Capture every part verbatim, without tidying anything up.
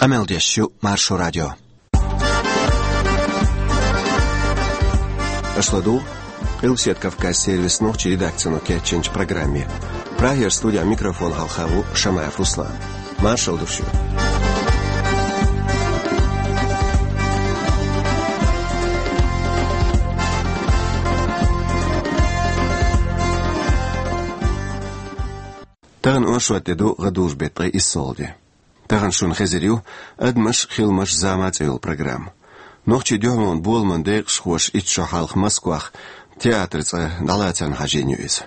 Къамел деш ю Маршо радио. Аша ладугӀу Къилбаседа Кавказ сервисан нохчийн редакцино кечйинчу программе. Прагера студехь микрофон хьалха ву Шамаев Руслан. Маршалла ду шуьга. Тахана оршот де ду, гӀадужу беттан ткъе иссалгӀа де. Тахана шуна хезар ю «Адамаш, хиламаш, зама» цӀе йолу программа. Нохчийн дуьхьалонан боламан декъашхоша итт шо хьалха Москвахь театран цӀа дӀалацарна хьажийна ю иза.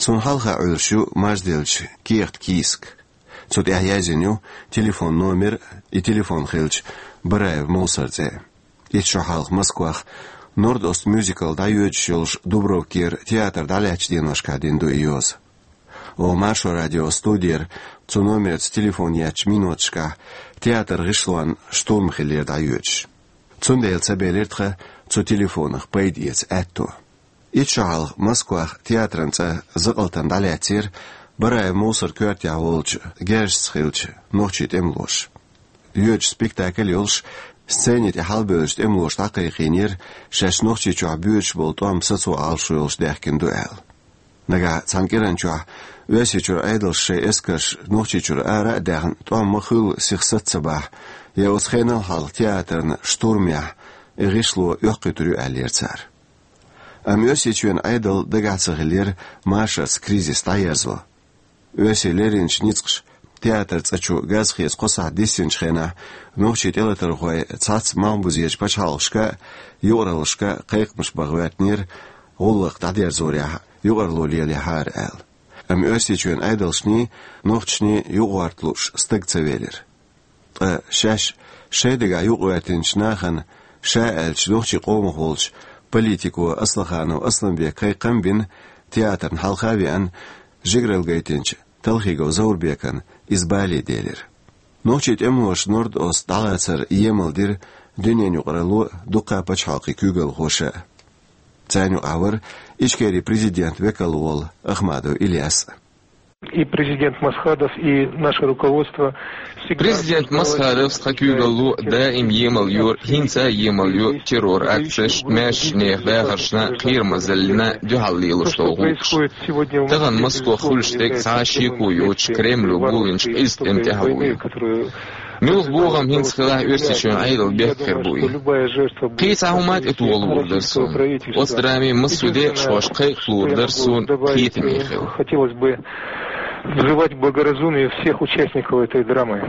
Суна хьалха Ӏуьллуш ю марзделлачу кехатан кийсак. Цу тӀехь яздина ю телефон номер, и телефон хилча Бараев Мовсар цӀе. Итт шо хьалха Москвахь «Норд-Ост» мюзикл дӀайоьдуш йолуш Дубровкера театр дӀалаьцначу деношкахь дина ду и йоза. Оха Маршо радион студера цу номерца телефон еттачу миноташкахь театран гӀишлонна штурм хиллера дӀайоьдуш. Цундела ца белира тхан цу телефонах пайда эца аьтто. Итт шо хьалха Москвахь театран цӀа закъалтана дӀалаьцнера Бараев Мовсаран коьртехь волчу герзашца хиллачу нохчийн тӀемалоша. Йоьдуш спектакль йолуш, сцени тӀе хьалабевллачу тӀемалоша дӀакхайкхийнера шаьш Нохчийчохь боьдуш болу тӀом сацо Ӏалашо йолуш даьхкина ду аьлла. Нагахь цхьана кӀиран чохь Оьрсийчуьра Ӏедалша шайн эскарш Нохчийчуьра ара а даьхна, тӀом ма-хуьллу сиха саца ца бахь, я оцу хенал хьалха театрна штурмехь и гӀишло оьккхуьйтур ю аьллера цара. Амма Оьрсийчоьнан Ӏедал дагахь ца хиллера машарца кризис дӀаерзо. Оьрсийн леринчу ницкъаша театран цӀа чу газ хеца кхо сахьт диссинчу хенахь, нохчийн тӀелатархой цхьацца малхбузерчу пачхьалкхашка а, юкъараллашка а кхайкхамаш бан гӀоьртинера, гӀуллакх дӀадерзорехь юкъарло лелахьара аьлла. Амма Оьрсийчоьнан Ӏедалшний, нохчашний юкъагӀорта лууш стаг ца велира. Ткъа шаьш шайн дагахь юкъагӀоьртинчу нахана ша аьллачу нохчийн къомах волчу политико Аслаханов Асламбека кхайкхам а бина, театрна хьалха а веана, жигаралла гайтинчу Талхигов Заурбекана иза бале делира. Нохчийн тӀемалоша Норд-Ост дӀалацар емал дира дуьненан юкъаралло а, дуккха а пачхьалкхийн куьйгалхоша а. Царна юкъахь вара Ичкерин президентан векал волу Ахмадов Ильяс а. И президент Масхадов, и наше руководство всегда... Президент Масхадовс, тхан куьйгалло даим емал йора, хӀинца а емал йо террор акцеш, маьршачу нехан дахаршна, кхерамазаллина дуьхьал лелош долу гӀуллакхаш. Тахана Москвахь хуьлуш дерг цхьа а шеко йоцуш Кремло бовлинчу къиза тӀеман тӀаьхьало ю. Муьлха бохам хӀинца хилахь, Оьрсийчоьнан Ӏедал бехке хир бу и. Кхин цхьа хӀума а тӀетоха луур дара суна. Оцу драмин массо а декъашхошка кхайкха луур дара суна кхетаме хила. Хотелось бы взывать к благоразумию всех участников этой драмы.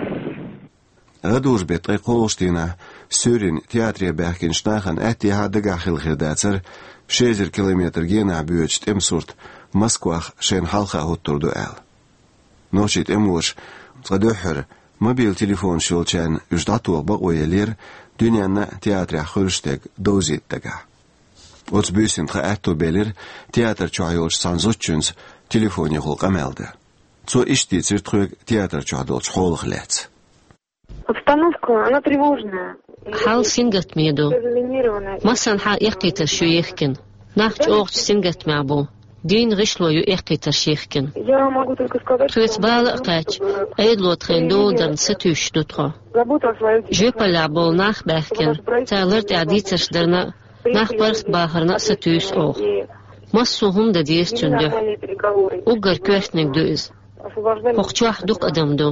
ГӀадужу беттан ткъе кхоалгӀачу дийнахь суьйранна театре баьхкинчу нахана аьттехьа а дагахь хилла хир дацара ши эзар километр генахь боьдучу тӀеман сурт Москвахь шайна хьалха хӀуттур ду аьлла. Нохчийн тӀемалоша цкъа дуьххьара мобил телефонаш йолчарна уьш дӀатоха бакъо еллера дуьненна а театрехь хуьлуш дерг довзийта дагахь. Оцу буьйсанна тхан аьтто белира театр чохь йолчу цхьана зудчуьнца телефонехула къамел дан. Цо иштта дийцира тхоьга театр чохь долчу хьолах лаьцна. Обстановка, она тревожная. Хьал сингаттаме ду. Массанхьа эккхийтарш ю ехкина. Нах чӀогӀачу сингаттамехь бу. Дийнна гӀишло ю эккхийтарш ехкина. Я могу только сказать, тхоьца бала а кхаьчча, Ӏедало тхайна доладарна сатуьйсуш ду тхо. Жоьпаллехь болу нах а баьхкина, цара лар тӀехь дийцарш дарна, нах бархӀ бахарна а сатуьйсу оха. Массо а хӀума дан деза цуьнан дуьхьа. Уггар коьртаниг ду иза. ХӀокху чохь дукха адам ду.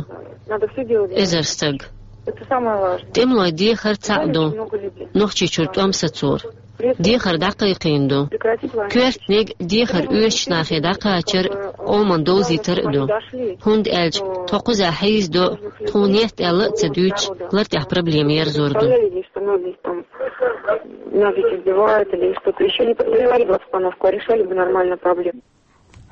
Эзар стаг. ТӀемалойн дехар цхьаъ ду. Нохчийчуьра тӀом сацор. Дехар дӀакхайкхийна ду. Коьртаниг дехар оьшучу нахе дӀакхачар а, къоман довзийтар а ду. ХӀунда аьлча тхо кхузахь хьийзадо, тхуна етта аьлла а ца дуьйцуш, лар тӀехь проблема ерзор ду. Нас здесь издевают или что-то ещё не поддержали бы обстановку, а решали бы нормально проблему.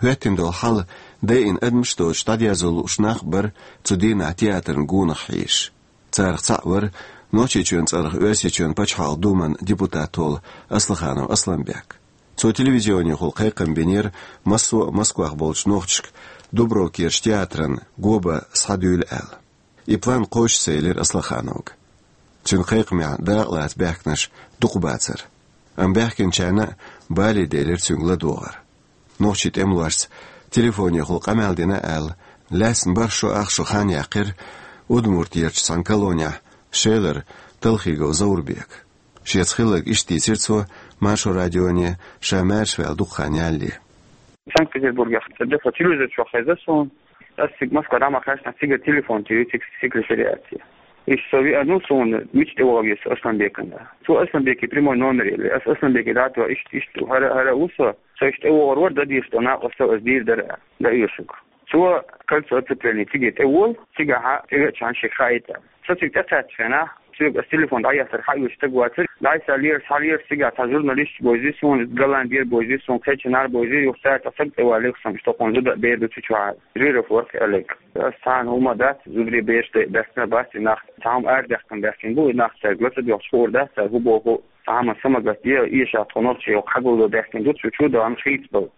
ХӀоьттина долу хьал дайина адамаш доцуш дӀадерзо лууш нах а бара цу дийнахь театран гонах хьийзаш. Царах цхьаъ вара Нохчийчоьнан цӀарах Оьрсийчоьнан Пачхьалкхан Думан депутат волу Аслаханов Асланбек. Цо телевизионехула кхайкхам бинера массо а Москвахь болчу нохчашка Дубровкерчу театрана го бан схьадуьйла аьлла. И план кхочуш ца елира Аслахановга. Цуьнан кхайкхамехь дакъалаца баьхкинарш дукха бацара. Амма баьхкинчарна а бале делира цуьнга ладогӀар. Нохчийн тӀемалошца телефонехула къамел дина аьлла, лаьцна бархӀ шо ах шо хан яьккхира Удмуртехь цхьана колонехь Шелара Талхигов Заурбека. Шеца хилларг иштта дийцира цо Маршо радионе, ша маьрша ваьлла дукха хан ялале. Санкт-Петербургехь цӀа даьхна телевизор чохь хезна суна. Ас цига Москва дӀа ма кхаьчна, цига телефон тири цига секретариате. Иштта со веана ву, суна мича тӀе вогӀу веза Асланбекана. Цо Асланбеке прямой номер елли. Ас Асланбеке дӀа а тоьхна, иштта, иштта, хӀара, хӀара а ву со. Со иштта тӀе вогӀур вара, дан дезаш долу накъосталла ас дийр дара, дан оьшург. Цо кольцо оцепления цига тӀе волу, цигахь тӀевеачхьана шега хаийта. Со цига тӀекхаьччу хенахь, соьга ас телефон дӀаэцнарг хьаоьцу стаг вацара, дӀасалера, схьалера, цигахь цхьа журналисташ бевзира суна, Голландера бевзира суна, кхечанхьара бевзира, юха цара цхьа стаг тӀеваллера, сан иш токхунна зуда а бер ду цу чохь, жиров вара аьлларг. Ас цхьана хӀума дац, зударий бераш даьстина бац и нах, цхьа хӀума арадаьккхина даьстина бу и нах, цаьрга ла ца доьхча хуур дац цара хӀун боху, цхьа хӀума са ма гатде, эшахь тхо нохчий хьагулдо даьстина ду цу чу, дан хийцабала.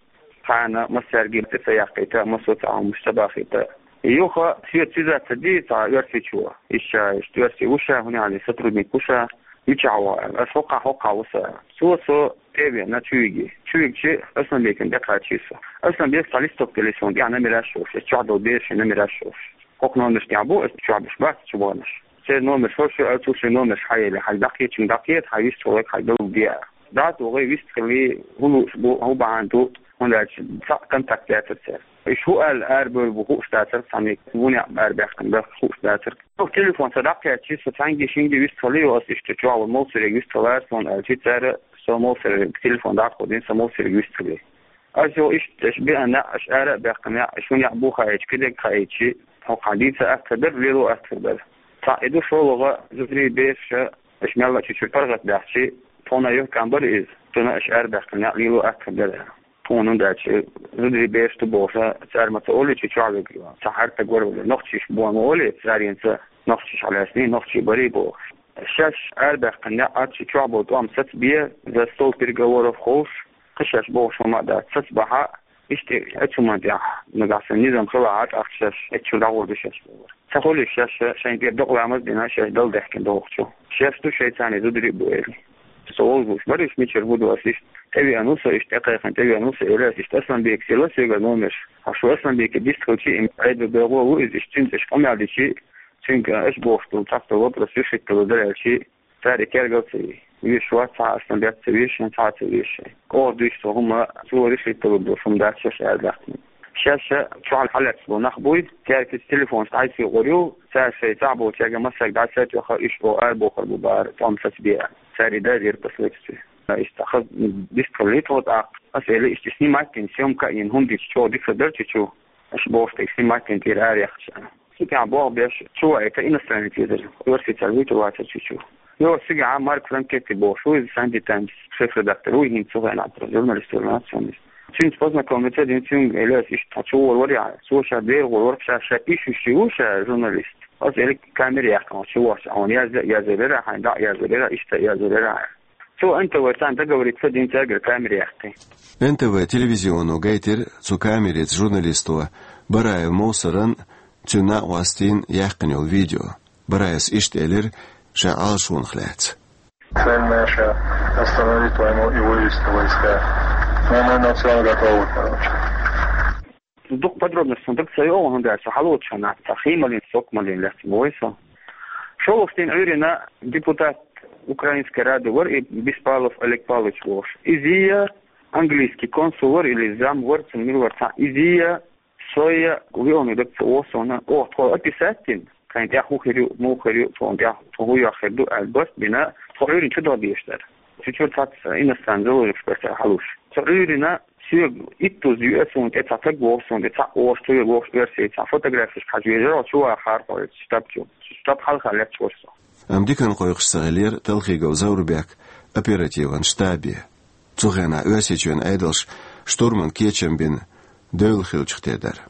Тхьана массаьрга тӀе ца яккхийта, массо а цхьа хӀуманаш ца бахийта. Юха соьца связаться ди цхьа оьрсичо. Иштта, иштта оьрси ву ша, хӀунда аьлча сотрудник ву ша, мичахь ву аьлла. Ас хӀокхахь, хӀокхахь ву сан. Цо со тӀе а веана, чу вигна. Чу вигча Асланбекана тӀекхачийра со. Асланбека цхьа листок тиллина суна тӀехь номераш йолуш, ас чохь долу берийн номераш йолуш. ХӀокху номерш тӀехь бу, ас чохь берш бац чу баханарш. Церан номерш хӀорш ю, ас цу шайн номерш хьан елла, хьайн дӀакхета, дӀакхета, хьайн вистхуьлург хьайн далла де. ДӀа а тохий, вист хилий, хӀун лууш бу, хӀун бахьана ду, хӀунда аьлча цхьаъ контакт яцара церан. Уьш хӀун аьлла арабевлла бу хууш дацара, цхьаьнниг хӀунда аьлла арабаьккхина бу хууш дацара. Со телефон сан дӀакхаьчча, со цхьаьнгге-шинге вист хилий, ас иштта чохь волу Мовсаре вист хилара суна аьлча, цара со Мовсаре телефон дӀакховдийна, со Мовсаре вист хилий. Ас йо иштта, аш беана неӀ, аш ара а баьккхина неӀ, аш хӀун неӀ бу хаийча, кхидерг хаийча, хӀокхахь дийца атта дара, лело атта дара. Цхьаъ и ду, шолгӀа зударий, бераш, аш мелла а чу чуьра паргӀат баьхча, тхуна юхкам бара иза, цунна аш ара баьккхина неӀ лело атта дара. Тхуна хӀунда аьлча зударий, бераш ду бохуш, цара ма ца олий, чу чохь вега цхьа хӀара стаг вара вара, нохчий ма олий, царенца нохчий хьалаьцний, нохчий барий бохуш. Шаьш ара баьккхина неӀ а, чу чохь болу тӀом сацабе, за стол переговоров ховш, кхин шаьш бохуш хӀума а дац, сацабахь, иштта оцу хӀуманна тӀехь, нагахь санна низам хилахь, тӀаккха шаьш оцу чуьра дӀагӀур ду шаьш бохура. Ца хуьлий шаьш шайна тӀера докъа ламаз а дина, шаьш Далла даьхкина догӀучу? Шаьш ду шайца дузур а бу элира. Со вовзуш бара уьш, мичара хӀун ду ас иштта. ТӀевеана ву со, иштта тӀекхайкхина тӀевеана ву со, элира ас, иштта Асланбекас елла соьга номерш. Хьо шу Асланбеке дистхилча, и Ӏедалан бегӀо ву иза, иштта цуьнца аш къамел дича, цуьнга аш бохуш долу цхьацца вопрос решить далур дара аьлча, цара и кергал ца йи. Вешаш вац цхьа а, Асланбек ца вешан, цхьа а ца вешан. Оха дуьйцу со хӀума, цо решить далур долуш хӀума дац шаьш арадаьккхина. Шаьш чохь хьалаьцна болу нах буй, цаьрга иза телефонаш дӀасаекъур ю, цара шайн цхьаъ болчаьрга массаьрга дӀаса а тоьхна, уьш оха ара бохур бу бахара, тӀом сацабе аьлла. Цара и дазийра последствия. Иштта хаза дистхилий тхо тӀаккха. Ас элира, иштта снимать дина, съёмка а йина, хӀума дича чӀогӀа дика хир дара чу чу. Аш бохуш дерг снимать дина тӀера араяьккхича. Цу тӀехь боху беш, чу ваийта иностранец везара, оьрсий цара вуьйтур вацара чу чу. Йо, цигахь Марк Франкетти бохуш ву иза, Санди Таймс шеф-редактор ву, хӀинца цу хенахь журналист вара нацо. Цуьнца познакомиться дина, цуьнга элира ас, иштта тхо чу гӀур вара яхьа. Цо ша дера гӀур вара, ша, ша иш вуьший ву ша журналист. Ас элира камера яьккхина, чу вахча, хьуна язъя а язъялира, хьайна дӀа а язъялира, иштта а язъялира. Цо Н Т В царна договориться дина, цаьргара камера яьккхи. Н Т В телевизионо гайтира цу камерица журналисто Бараев Мовсаран, цуьнан накъостийн яьккхина йолу видео. Бараевс иштта элира ша Ӏалашонах лаьцна. Цель наша — остановить войну и вывести войска. Но мы на всё готовы, короче. Дукха подробностей сан дага ца йогӀу, хӀунда аьлча со хьалоцуш хьан нах ца хималин, сокмалин лаьцна вой со. ШолгӀачу дийнахь Ӏуьйрина депутат Украинской Рады вара и Беспалов Олег Павлович бохуш. Изия английский консул вара или зам вара, цуьнан мила вара цхьа. Изия, со я, виъална дага ца вогӀу суна. Оха тхо описать дина, кхайн тӀехь хӀун хир ю, муха хир ю, тхуна тӀехь тхо хӀун йохь хир ду аьлла, барт бина, тхо Ӏуьйрина чу даха дезаш дара. Чу чуьра цхьацца иностранный заложникаш бара цара хьалуш. Цу Ӏуьйрина соьга иттуза юьа суна тӀе цхьа таг вогӀу суна тӀе, цхьа оша, цо вогӀуш оьрсий, цхьа фотографеш хьажа везара, чу вахара хьо оцу штаб чу. Штаб хьалха лаьтташ вара со. Амма диканна кхойкхуш ца хиллера Талхигов Заурбек оперативан штабе. Цу хенахь Оьрсийчоьнан Ӏедалша штурман кечам бина девлла хиллачух тера дара.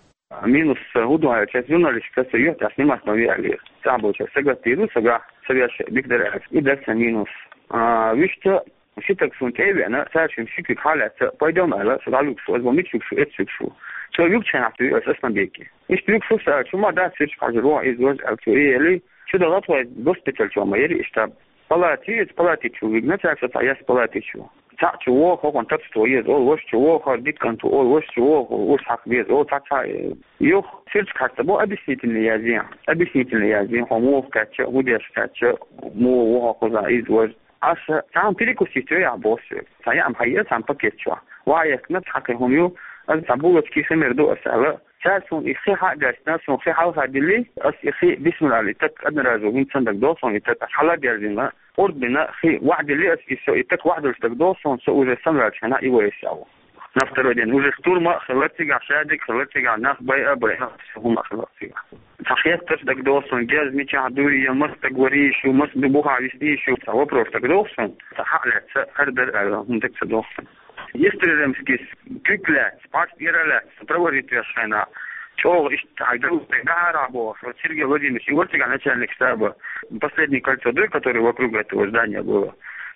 Минус хӀун ду аьлча, журналистика со юьхь тӀехь снимать ма ве аьлла. Цхьаболчара сагатдийр ду, сагахь, са вешан дика дара аьлла. И дара сан минус. А, вуьшта, ши стаг суна тӀе а веана, цаьршимма ши куьг хьалаьцна, пойдём аьлла, со дӀавуьгу шу, аса боху, мича вуьгу шу, эцца вуьгу шу. Цо вуьгучу хенахь туьйхира аса ма бекке. Иштта вуьгу шу, аса аьлча, ма дац, сирча хьажар вон иза важа аьлла, цо и элли, чу даха тхо госпиталь чу ма яри иштта. Палати, иза палати чу вигна, цаьрца цхьа яс палати чу. Цхьаъ чу вогӀу, хӀокхунна тапча тхо еза олу, ваша чу вогӀу, хӀара дика кӀант ву олу, ваша чу вогӀу, урс хьакха беза олу, цхьа, цхьа, э, юха сирча хьаста бо объяснительный язйина. Объяснительный язйина, хьо муха кхаьчча, хӀун деш кхаьчча, муха ву хьо кхузахь, иза важа. Аса цхьаъ перекусить йо ахь боху соьга. Цхьа яа хьайа, цхьана пакет чохь. Ваха яхкина цхьа кхин хӀума ю, аса цхьа булочки хи мер ду аса аьлла. Цара суна и хи хьа а гаьстина, суна хи хьалха дилли, аса и хи бисмилла аьлла, и таг одноразово хӀинца санна дагадогӀу суна, и таг аса хьала а дерзийна, къурд бина, хи ваха дилли аса, и со, и таг ваха долуш дагадогӀу суна, со уже самаваьллачу хенахь и вайса а ву. На второй день уже штурм а хилла цигахь, шадерг а хилла цигахь, нах байа а байина, все хӀума а хилла цигахь. Цхьа хеттарш дагадогӀу суна, герз мичахь дуй, я маса стаг вара йиш ю, маса ду бухахь висна йиш ю, цхьа вопрос дагадогӀу суна, цхьа хьа а лаьцна, хӀара дара аьлла, хӀума дага ца догӀу суна. Истрижемскис куьг лаьцна, пхьарс тӀера лаьцна, провожить веш хенахь, чӀогӀа иштта хьайн дагахь бохуш, вот Сергей Владимирович, и вара цигахь начальник штаба, последнее кольцо дуй, которое вокруг этого здания было.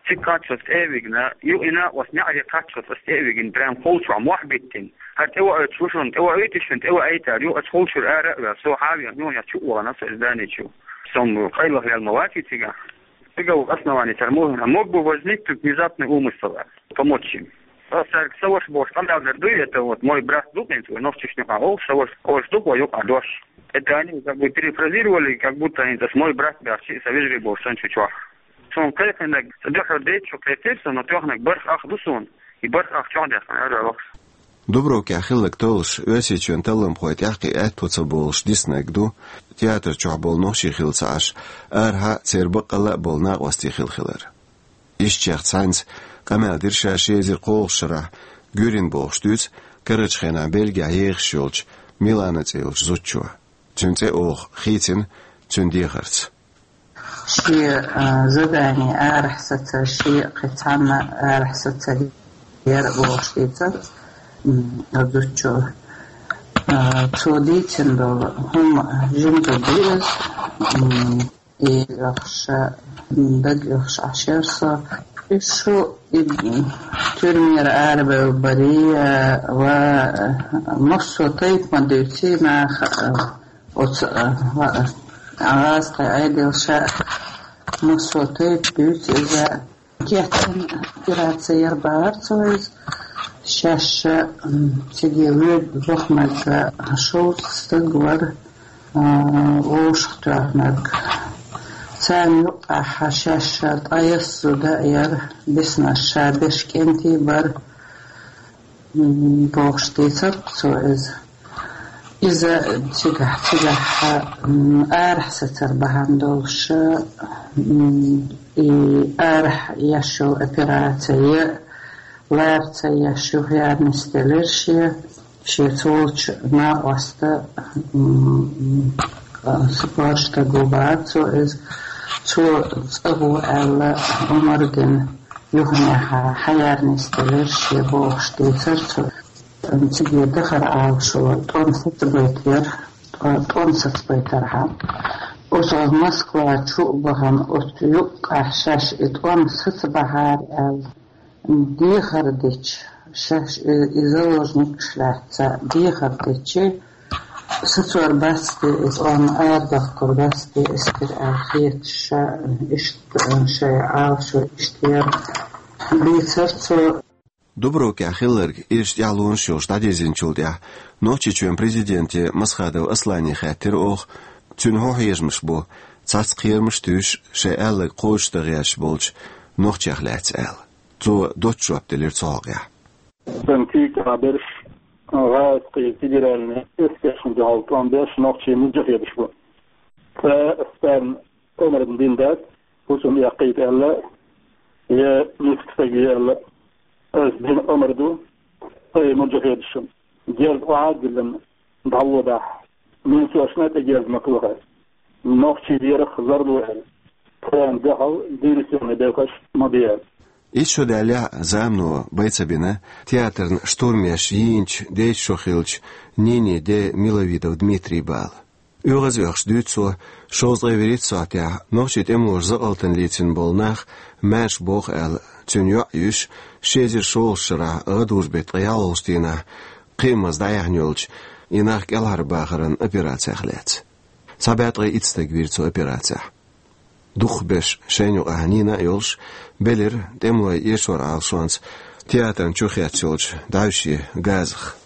Цига кхаччалц тӀе а вигна, ю и накъост неӀаре кхаччалц аса тӀе а вигна, прям холчохь мохь биттина. ХӀара тӀевоуьйтуш ву шуна, тӀевоуьйтуш шуна, тӀевоуьйтуш, ю аса холчуьра ара а ваьлла, со хьа а веана, нохчех чу а вахана со из здани чу. Со-м къайлаха ваьлла ма вац и цигахь. Цигахь ву основание цара муха, мог бы возникнуть внезапный умысел помочь им. Аса цаьрга сан ваша бохуш къамел дер дуй, это вот мой брат ду хӀинца, вай нохчашна юкъахь олуш, сан ваша, ваша ду вай юкъахь дош. Это они как бы перефразировали, как будто хӀинца аса мой брат баьхча, и сан вежарий бохуш санна чу чохь. Суна кхайкхинарг, ца дуьхьал дайта шу кхетира со, но тоьхнарг бархӀ ах ду суна, и бархӀ ах чохь даьккхина, аьлла вахаш. Дубровкехь хилларг толлуш, Оьрсийчоьнан талламхойн тӀаьхье аьтту ца болуш диснарг ду, театр чохь болу нохчий хилла ца Ӏаш, арахьа а церан баккъалла а болу накъостий хилла хилар. Ишттачех цхьаьнца къамел дира ша ши эзар кхоалгӀачу шарахь, Гуьрин бохуш дуьйцу карарчу хенахь Бельгехь ехаш йолчу Милана цӀе йолчу зудчо. Цуьнан цӀе оха хийцина цуьнан дехарца. Шен, а, задание арахь сацар, шен кхин цхьанна арахь сацар яра бохуш дийцар, м, зудчо. А, цо дийцина долу хӀума жимма ду иза, м, и оьхуш, м, дага оьхуш Ӏаш яра со. И шу и, м, тюрьмера арабевлла барий, а, ва, а, массо а тайпа ма дуьйций наха, а, Оцу, а, а, гӀазкхи Ӏедал ша массо а тайпа дуьйцу иза. Кечйина операци яра бахара цо иза. Шаьш ша, м, циге воьду бохамаза шовзткъа стаг вара, а, вовшахтоьхнарг. Царна юккъехь шаьш ша ткъаесна зуда а яра, биснарш ша беш кӀентий бара. М, бохуш дийцар цо иза. Иза цигахь, цигахь, м, арахь сацар бахьана долуш, м, и арахь еш йолу операци, лара ца еш юха яра нисделира шен, шен цолчу накъоста, м, м, спорт стаг ву бахара цо иза. Цо цӀа ву аьлла, омар дина. Юханехьа хьаяра нисделира шен бохуш дийцар цо. Циге дахар Ӏалашо тӀом сацабайтар, тӀо-, тӀом сацабайтархьама. Оцу Москва чу а бахана, оцу юккъехь шаьш и тӀом сацабахьара аьлла, дехар дича, шаьш и, и заложникаш лаьцна дехар дича, сацор бац те, и тӀом арадахкар бац те, эскар аьлла хеташ, ша иштта, шайн Ӏалашо иштта яра. Бийцар цо. Дубровкехь хилларг ирчу тӀаьхьалонаш йолуш дӀадирзинчул тӀаьхьа Нохчийчоьнан президенте Масхадов Аслане хаьттира оха, цуьнан хӀун хьежамаш бу, цхьацца кхерамаш а туьйсуш, шайн аьлларг кхочушдан гӀерташ болчу нохчех лаьцна аьлла. Цо доцчу жоп делира цу хьокъехь. Сан куьйга берш гӀазкхийн федеральный эскаршна дуьхьал тӀом беш нохчийн муджахедаш бу. Ткъа ас царна омар дина дац, хӀусам эккхийта аьлла, я миска стаг ве аьлла. Ас дина омар ду, ткъа и муджахедашна. Герз охьа а диллина, дӀалло дахьа. Минсошна а тӀе герз ма тухара. Нохчий дерах зарро аьлла. Царна дуьхьал диверсионный белхаш ма бе аьлла. Итт шо даьллехь а замано бай ца бина театран штурмеш йийначу дейтта шо хиллачу Нинин ден Миловидов Дмитрийн бала. ОьгӀазвоьдуш дуьйцу цо, шовзткъе вуьрхӀитта сохьтехь нохчийн тӀемалоша закъалтана лецна болу нах маьрша боху аьлла, цуьнан йоӀ а юьйш, ши эзар шолгӀачу шарахь гӀадужу-беттан ткъе ялхолгӀачу дийнахь кхиамаза дӀаяьхьна йолчу и нах кӀелхьарбахаран операцех лаьцна. Цхьа бӀе ткъе итт стаг вийра цу операцехь. Дукхахберш шайна юкъахь Нина а йолуш, белира тӀемалойн эшоран Ӏалашонца театрна чу хецна йолчу дӀаьвше газах.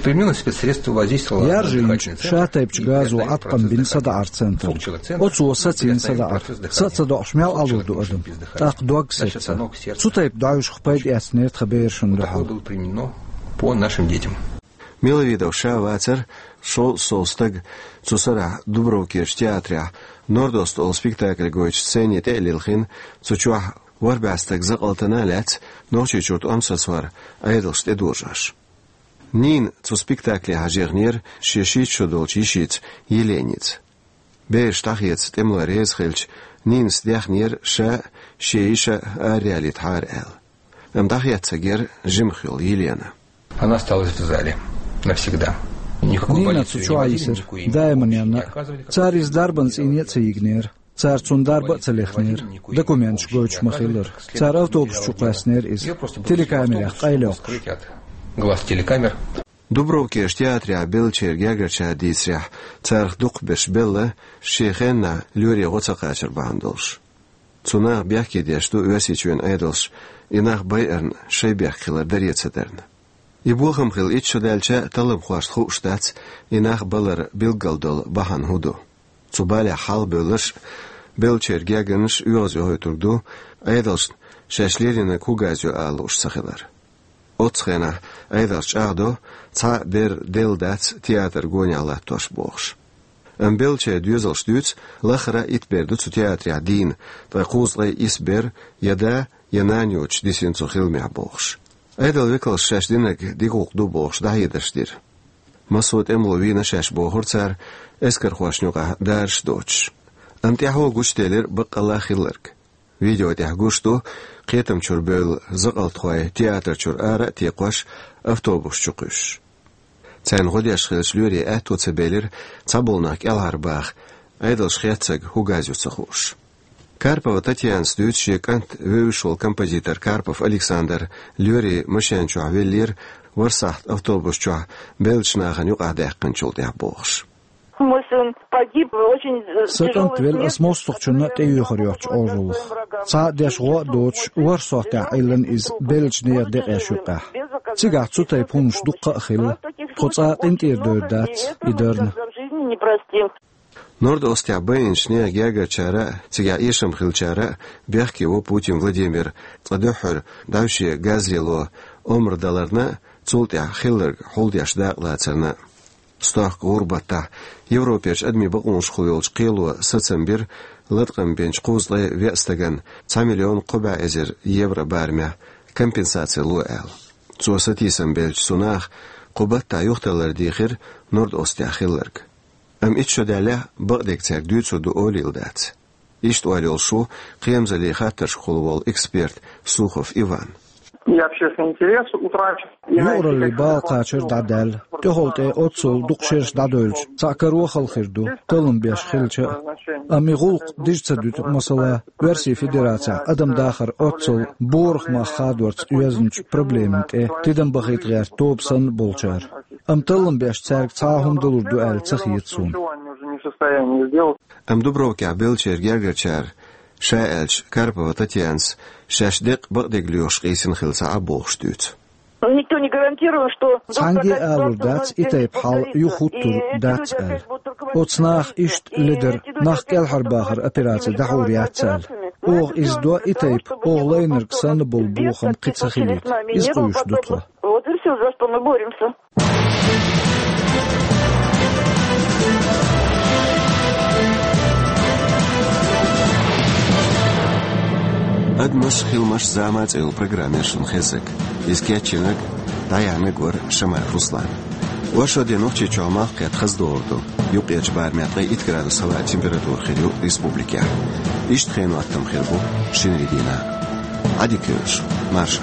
Применённое спецсредство воздействовало на дыхательный центр. Яржийначу шатайпачу газо Ӏаткъам бина садаӀаран центрна. Оцо сацийна садаӀар. Са а ца доӀуш, мел Ӏалур ду адам. ТӀаккха дог сецна. Цу тайпа дӀаьвшах пайда эцнера тхан берашна дуьхьал. Было применено по нашим детям. Миловидов ша вацара шовзткъа сов стаг. Цу сарахь Дубровкерчу театрехь «Норд-Ост» олу спектакль гойтуш сцене тӀе а лилхина, цу чохь ворхӀ бӀе стаг закъалтана а лаьцна, Нохчийчуьра тӀом сацор Ӏедалша тӀедожош. Нина цу спектакле хьажаехнера шен шийтта шо долчу йишица Еленица. Бераш дӀахеца тӀемалой реза хилча, Нинас даьхнера ша а, шен йиша а араяьллийтахьара аьлла. Амма дӀахецна гира жимах йолу Елена. Она осталась в зале навсегда. Никакой полиции не возили, никакой им помощи не оказывали. Нина цу чохь йисира, даиманна. Цара иза дарбан цӀийне а ца йигнера. Цара цунна дарба а ца лехнера. Документаш гойтуш ма-хиллара. Цара автобус чу кхоьссинера иза. Телекамерех къайлайоккхуш. Скрыть от глаз телекамер. Дубровкерчу театрехь беллачеран гергарчара дийцарехь, царах дукхахберш белла, шен хеннахь лоьре гӀо ца кхачар бахьана долуш. Цу наха бехке деш ду Оьрсийчоьнан Ӏедалша, и нах байарна шайн бехк хилар даре ца дарна. И бохам хилла итт шо даьлча а, талламхошна хууш дац, и нах балар билггал долу бахьана хӀун ду. Цу балехь хьалхабевлларш а, беллачеран гергарнаш а оьгӀазвойтург ду, Ӏедалшна шаьш леринарг хӀун газ ю ала лууш ца хилар. Оццу хенахь Ӏедалша чӀагӀдо, цхьа а бер делла дац театр гонехь латтош бохуш. Амма беллачеран доьзалша дуьйцу, лахара а итт бер ду цу театрехь дийна, ткъе кхузткъе исс бер я да, я нана йоцуш дисина цу хиламехь бохуш. Ӏедалан векалша шаьш динарг дика гӀуллакх ду бохуш дӀахьедарш дира. Массо а тӀемало вийна шаьш бохура цара, эскархошна юкъахь дараш а доцуш. Амма тӀаьхьо гучуделира баккъалла а хилларг. Видео тӀехь гуш ду, кхетам чуьра бевлла закъалтхой театр чуьра ара а текхош, автобус чу кхуьссуш. Царна гӀо деш хиллачу лоьре аьтто ца белира цхьаболу нах кӀелхьарбаха, Ӏедалша хецнарг хӀун газ ю ца хууш. Карпова Татьянас дуьйцу, шен кӀант вевзаш волу композитор Карпов Александр лоьрийн машен чохь веллера, вара сахьт автобус чохь беллачу нахана юкъахь даьккхинчул тӀаьхьа бохуш. Мой сын погиб в очень, э, тяжёлой смерти. Сан кӀант велла ас мостагӀчунна а тӀеюьйхира йоцчу Ӏожаллах. Цхьа а деш гӀо а доцуш, ворхӀ сохьтехь Ӏиллина иза беллачу нехан декъеш юккъехь. Цигахь цу тайпа хӀуманаш дуккха а хилла. Тхо цкъа а къинтӀера девр дац и дарна. Норд-Остехь байинчу нехан гергарчара а, цигахь эшам хиллачара а бехке во Путин Владимир, цкъа дуьххьара дӀаьвше газ лело омра даларна а, цул тӀаьхьа хилларг хьулдеш дакъалацарна а. Стохка гӀуран баттахь Европерчу адамийн бакъонашкахула йолчу кхело сацам бира латкъам бинчу кхузткъе веа стагана цхьа миллион кхо бӀе эзар евро барамехь компенсаци ло аьлла. Цо сатийсам беллачу цу наха кху баттахь юхаталлар дийхира Норд-Остехь хилларг. Амма итт шо даьллехь а, бакъдерг цаьрга дуьйцур ду олийла дац. Иштта ойла йолуш ву кхерамзаллин хаттаршкахула волу эксперт Сухов Иван. И общественный интерес утрачен. Юкъараллин бала кхачар дӀадаьлла. ТӀехула тӀе оццул дукха шераш дӀадевлча, цхьаъ каро хала хир ду, таллам беш хилча а. Амма и гӀуллакх дижа ца дуьту, масала, Оьрсийн Федерацехь адам дахар оццул борах мах хадорца оьзначу проблемина тӀе тидам бахийта гӀерта тоба санна болчара. Амма таллам беш цаьрга цхьа а хӀума далур ду аьлла ца хета суна. Амма Дубровкехь беллачеран гергарчара, ша аьлча, Карпова Татьянас шаьш деккъа бакъдерг лоьхуш къийсина хилла ца Ӏа бохуш дуьйцу. Никто не гарантировал, что... Цхьаьнгге а алур дац, и тайпа хьал юха хӀуттур дац аьлла. Оцу наха иштта ледара, нах кӀелхьарбахаран операци дӀахьур яц аьлла. Оха иза до и тайпа, оха лайнарг санна болу бохам кхин ца хилийта. Иза къуьйсуш ду тхо. Вот и всё, за что мы боремся. «Адамаш, хиламаш, зама» цӀе йолу программа яра шуна хезнарг. Иза кечйинарг, дӀаяьхьнарг вара Шамаев Руслан. Оршотан де Нохчийчохь малх кхетта хаза догӀур ду. Юккъерчу барамехь ткъе итт градус хӀаваан температура хир ю республикехь. Иштта хенан хӀоттам хир бу шинарин дийнахь. Адик ёжо, маршо.